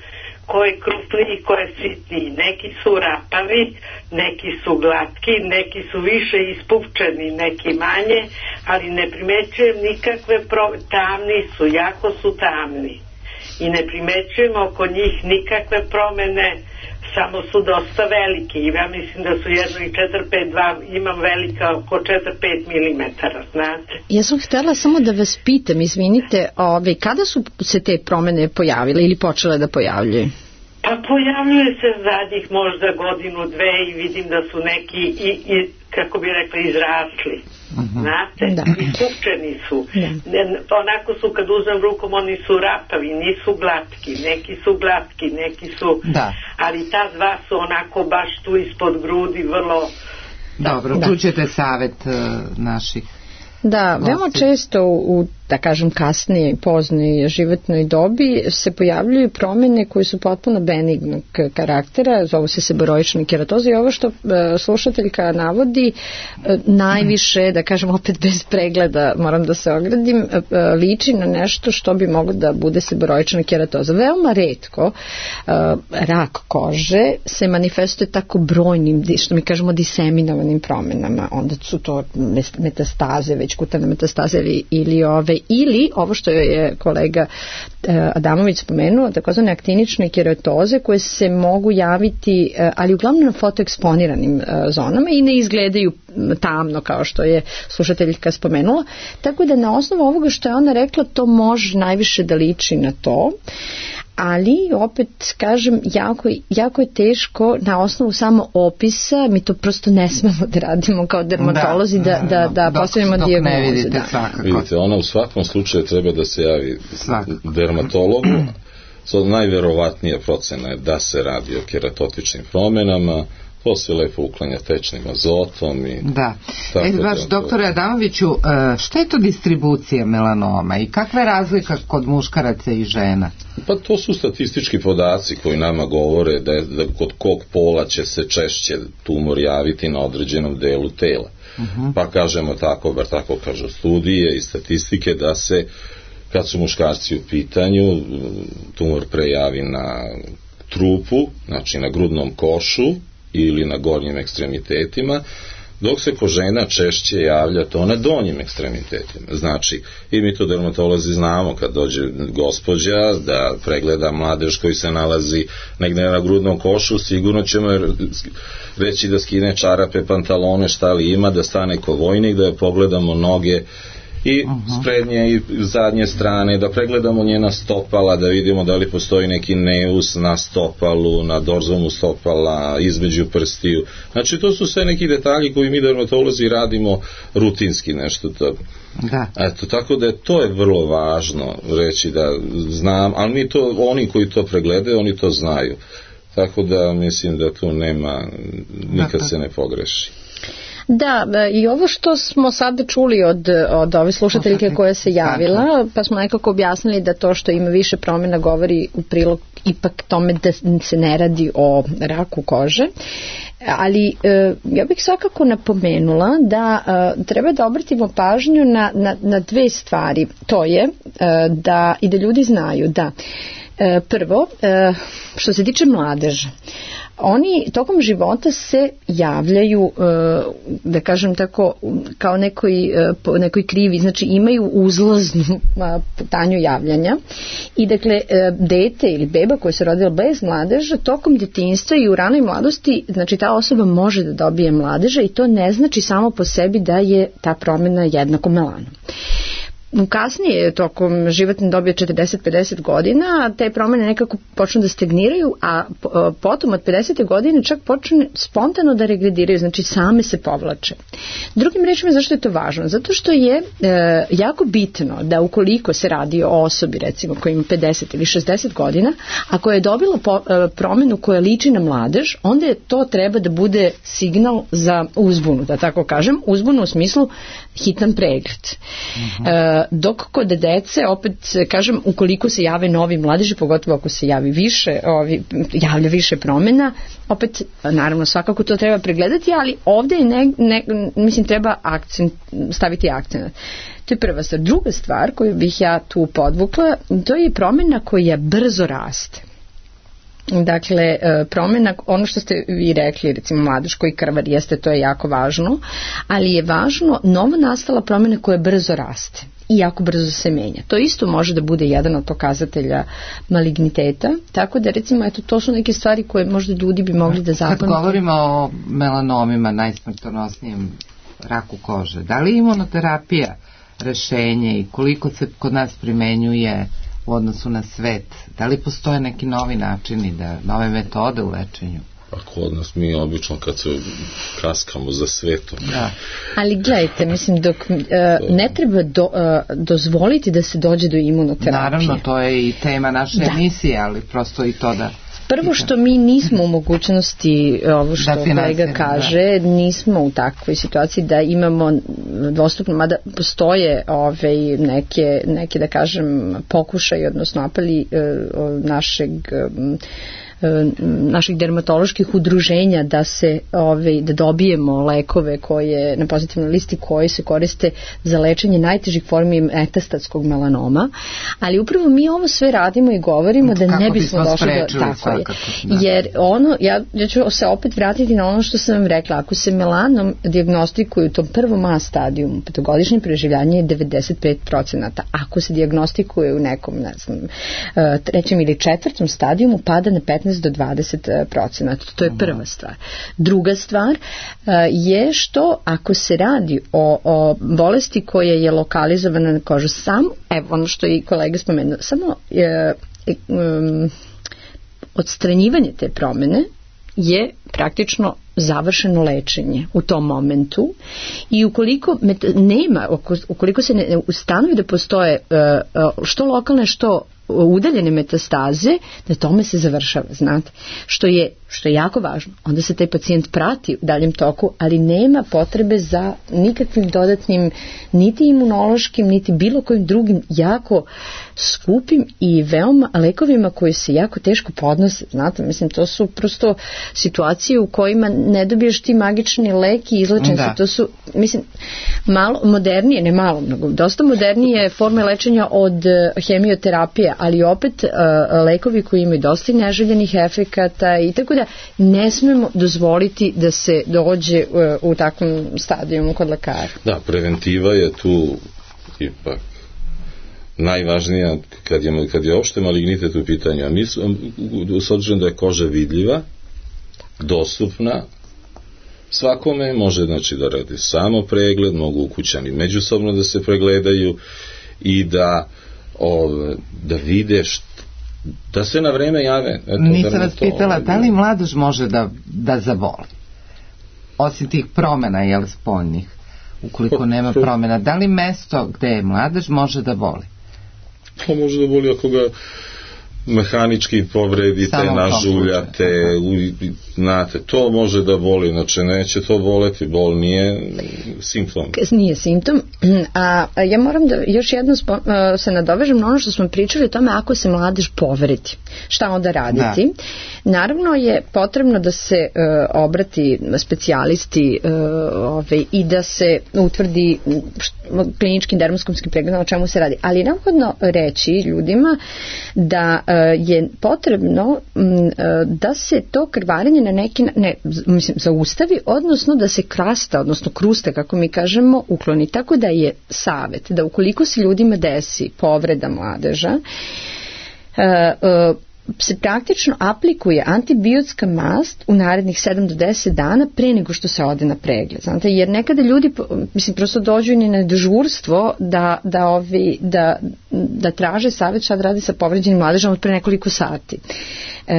W: koje je krupniji i koje je sitniji. Neki su rapavi, neki su glatki, neki su više ispupčeni, neki manje, ali ne primećujem nikakve tamni su, jako su tamni. I ne primećujem oko njih nikakve promene, samo su dosta veliki. I ja mislim da su jedno i 4-5-2, imam velika oko 4-5 milimetara, znate.
D: Ja sam htjela samo da vas pitam, izvinite, kada su se te promene pojavile ili počele da pojavljaju?
W: Pa pojavljuje se zadnjih možda godinu, dve i vidim da su neki i kako bi rekla, izrasli. Znate, ispupčeni su. Onako su, kad uzmem rukom, oni su rapavi, nisu glatki, neki su glatki, neki su, ali ta dva su onako baš tu ispod grudi, vrlo...
B: Dobro, čućete savjet naših.
D: Da, veoma često u da kažem kasnije i poznoj životnoj dobi se pojavljuju promjene koje su potpuno benignog karaktera, zovu se seboroična keratoza i ovo što slušateljka navodi najviše, da kažem opet bez pregleda, moram da se ogradim, liči na nešto što bi moglo da bude seboroična keratoza. Veoma retko rak kože se manifestuje tako brojnim, što mi kažemo diseminovanim promjenama, onda su to metastaze, već kutane metastaze ili ovo što je kolega Adamović spomenuo, takozvane aktinične keratoze koje se mogu javiti, ali uglavnom na fotoeksponiranim zonama i ne izgledaju tamno kao što je slušateljka spomenula, tako da na osnovu ovoga što je ona rekla to može najviše da liči na to. Ali opet kažem jako je teško na osnovu samo opisa, mi to prosto ne smemo da radimo kao dermatolozi da postavimo dijagnozu.
C: Vidite, ona u svakom slučaju treba da se javi dermatologu. Najverovatnija procena je da se radi o keratotičnim promjenama, to se lepo uklanja tečnim azotom i
B: baš doktore Adamoviću, šta je to distribucija melanoma i kakva je razlika kod muškaraca i žena?
C: Pa to su statistički podaci koji nama govore da kod kog pola će se češće tumor javiti na određenom delu tela. Pa kažemo tako, bar tako kažu studije i statistike, da se kad su muškarci u pitanju tumor prejavi na trupu, znači na grudnom košu ili na gornjim ekstremitetima, dok se kod žena češće javlja to na donjim ekstremitetima. Znači, i mi to dermatolozi znamo, kad dođe gospođa da pregleda mladež koji se nalazi negdje na grudnom košu, sigurno ćemo reći da skine čarape, pantalone, šta li ima, da stane ko vojnik, da je pogledamo noge i s prednje i zadnje strane, da pregledamo njena stopala, da vidimo da li postoji neki neus na stopalu, na dorzomu stopala, između prstiju. Znači, to su sve neki detalji koji mi dermatolozi radimo rutinski nešto to. Eto, tako da to je vrlo važno reći da znam, ali mi to, oni koji to pregledaju, oni to znaju. Tako da mislim da tu nema, nikad se ne pogreši.
D: Da, i ovo što smo sada čuli od ove slušateljke koja se javila, pa smo nekako objasnili da to što ima više promjena govori u prilog ipak tome da se ne radi o raku kože. Ali ja bih svakako napomenula da treba da obratimo pažnju na dve stvari. To je da i da ljudi znaju da prvo, što se tiče mladeža, oni tokom života se javljaju, da kažem tako, kao nekoj krivi, znači imaju uzlaznu putanju javljanja i dakle dete ili beba koja se rodila bez mladeža tokom djetinjstva i u ranoj mladosti, znači ta osoba može da dobije mladeža i to ne znači samo po sebi da je ta promjena jednako melanom. Kasnije, tokom životne dobi od 40-50 godina, te promjene nekako počnu da stagniraju, a potom od 50. godine čak počne spontano da regrediraju, znači same se povlače. Drugim rečima, zašto je to važno? Zato što je jako bitno da ukoliko se radi o osobi, recimo koja ima 50 ili 60 godina, a koja je dobila promjenu koja liči na mladež, onda je to treba da bude signal za uzbunu, da tako kažem, uzbunu u smislu hitan pregled. Dok kod dece, opet kažem, ukoliko se jave novi mladeži, pogotovo ako se javlja više promjena, opet naravno svakako to treba pregledati, ali ovdje mislim treba staviti akcent. To je prva stvar. Druga stvar koju bih ja tu podvukla, to je promjena koja brzo raste. Dakle, promjena, ono što ste vi rekli, recimo mladež koji krvar jeste, to je jako važno, ali je važno novo nastala promjena koja brzo raste i jako brzo se menja. To isto može da bude jedan od pokazatelja maligniteta, tako da recimo eto, to su neke stvari koje možda ljudi bi mogli da zapamtiti.
B: Kad govorimo o melanomima, najsmrtonosnijem raku kože, da li je imunoterapija rešenje i koliko se kod nas primenjuje u odnosu na svet? Da li postoje neki novi načini, nove metode u lečenju?
C: Pa kod nas mi obično kad se kaskamo za svetom.
D: Da. Ali gledajte, mislim, dok ne treba dozvoliti da se dođe do imunoterapije.
B: Naravno, to je i tema naše emisije, ali prosto i to da
D: Prvo što mi nismo u mogućnosti, ovo što kolega kaže, nismo u takvoj situaciji da imamo dostupno, mada postoje neke da kažem pokušaj, odnosno apeli naših dermatoloških udruženja da se da dobijemo lekove koje na pozitivnoj listi koji se koriste za lečenje najtežih formi metastatskog melanoma, ali upravo mi ovo sve radimo i govorimo da ne bismo došli do tako je. Jer ja ću se opet vratiti na ono što sam vam rekla, ako se melanom dijagnostikuje u tom prvom A stadijumu, petogodišnje preživljanje je 95%, ako se dijagnostikuje u nekom trećem ili četvrtom stadijumu pada na 15 do 20%. To je prva stvar. Druga stvar je što ako se radi o bolesti koja je lokalizovana na kožu, evo ono što je i kolega spomenuo, samo odstranjivanje te promene je praktično završeno lečenje u tom momentu i ukoliko se ne ustanovi da postoje što lokalne što udaljene metastaze, na tome se završava, znate, što je jako važno. Onda se taj pacijent prati u daljem toku, ali nema potrebe za nikakvim dodatnim niti imunološkim, niti bilo kojim drugim jako skupim i veoma lekovima koji se jako teško podnose, znate, mislim, to su prosto situacije u kojima ne dobiješ ti magični lek i izlečen se, to su, mislim, malo modernije, ne malo, mnogo, dosta modernije forme lečenja od hemioterapije, ali opet lekovi koji imaju dosta neželjenih efekata i tako da ne smemo dozvoliti da se dođe u takvom stadijumu kod lekara.
C: Da, preventiva je tu ipak najvažnija kad je opšte malignitet u pitanju, a mi s obzirom da je koža vidljiva, dostupna svakome, može znači da radi samo pregled, mogu ukućani međusobno da se pregledaju i da vide da se na vreme jave.
B: Nisam vas pitala, da li mladež može da zavoli? Osim tih promena, spoljnih, ukoliko nema promena, da li mesto gde je mladež može da voli?
C: To može da voli ako ga mehanički povredite, nažuljate, znate, to može da boli, znači neće to boleti, bol nije simptom.
D: Nije simptom, a ja moram da još jednom se nadovežem na ono što smo pričali o tome ako se mladež povredi, šta onda raditi. Naravno je potrebno da se obrati specijalisti i da se utvrdi kliničkim dermoskopskim pregledom o čemu se radi, ali je neophodno reći ljudima da je potrebno da se to krvarenje na neki zaustavi, odnosno da se krasta, odnosno krusta, kako mi kažemo, ukloni. Tako da je savjet da ukoliko se ljudima desi povreda mladeža, se praktično aplikuje antibiotska mast u narednih 7 do 10 dana pre nego što se ode na pregled. Znate, jer nekada ljudi prosto dođu i na dežurstvo da traže savjet šta da radi sa povređenim mladežom od pre nekoliko sati.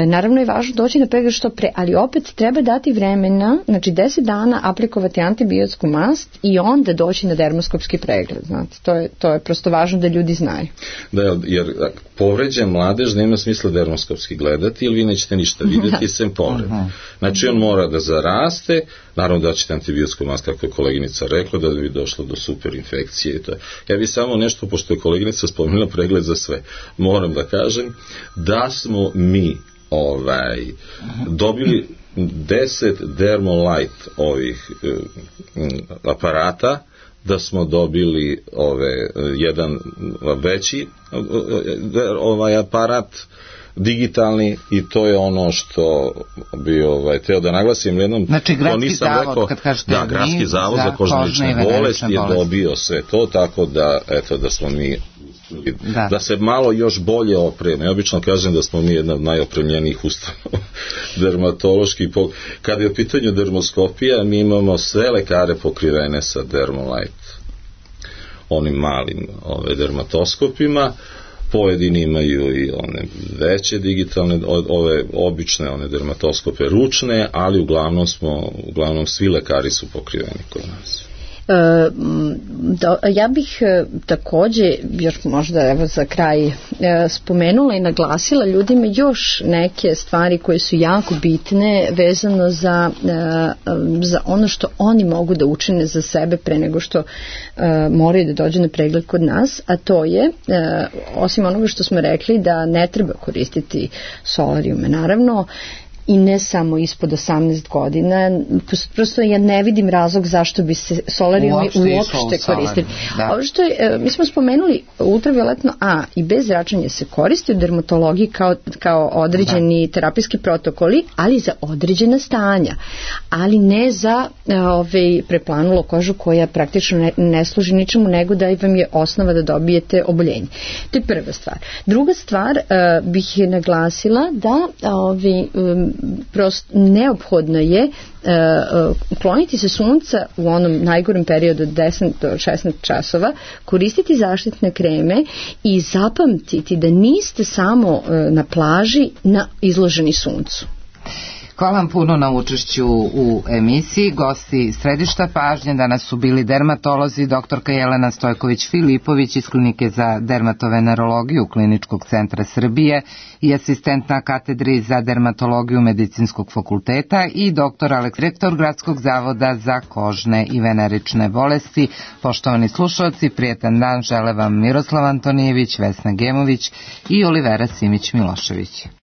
D: Naravno je važno doći na pregled što pre, ali opet treba dati vremena, znači 10 dana aplikovati antibiotsku mast i onda doći na dermoskopski pregled. Znate, to je prosto važno da ljudi znaju.
C: Da, jer povređen mladež nema smisla dermoskopski gledati, jer vi nećete ništa vidjeti sem povreda. Znači on mora da zaraste, naravno da ćete antibiotsku mast, kako je koleginica rekla, da bi došlo do superinfekcije. Ja bi samo nešto, pošto je koleginica spomenula pregled za sve, moram da kažem da smo mi dobili 10 Dermolite ovih aparata, da smo dobili jedan veći aparat digitalni i to je ono što bi teo da naglasim jednom.
B: Znači Gradski zavod, kad kažete
C: da, Gradski zavod za kožne bolesti je dobio sve to, tako da eto da smo mi da se malo još bolje opreme. Obično kažem da smo mi jedna od najopremljenijih ustanova dermatoloških. Kad je u pitanju dermoskopija, mi imamo sve lekare pokrivene sa Dermolite, onim malim dermatoskopima. Pojedini imaju i one veće digitalne, ove obične one dermatoskope ručne, ali uglavnom svi lekari su pokriveni kod nas.
D: Ja bih takođe još možda evo za kraj spomenula i naglasila ljudima još neke stvari koje su jako bitne vezano za ono što oni mogu da učine za sebe pre nego što moraju da dođu na pregled kod nas, a to je osim onoga što smo rekli da ne treba koristiti solarijume naravno i ne samo ispod 18 godina, prosto ja ne vidim razlog zašto bi se solarijumi uopšte koristili. Ovo što je, mi smo spomenuli ultravioletno A i B zračenje se koristi u dermatologiji kao određeni terapijski protokoli, ali za određena stanja, ali ne za preplanulo kožu koja praktično ne služi ničemu nego da vam je osnova da dobijete oboljenje. To je prva stvar. Druga stvar bih naglasila da prosto neophodno je kloniti se sunca u onom najgorem periodu od 10 do 16 časova, koristiti zaštitne kreme i zapamtiti da niste samo na plaži izloženi suncu.
B: Hvala vam puno na učešću u emisiji. Gosti središta pažnje danas su bili dermatolozi doktorka Jelena Stojković-Filipović iz Klinike za dermatovenerologiju Kliničkog centra Srbije i asistent na katedri za dermatologiju Medicinskog fakulteta i doktor Aleks, rektor Gradskog zavoda za kožne i venerične bolesti. Poštovani slušalci, prijetan dan žele vam Miroslav Antonijević, Vesna Gemović i Olivera Simić-Milošević.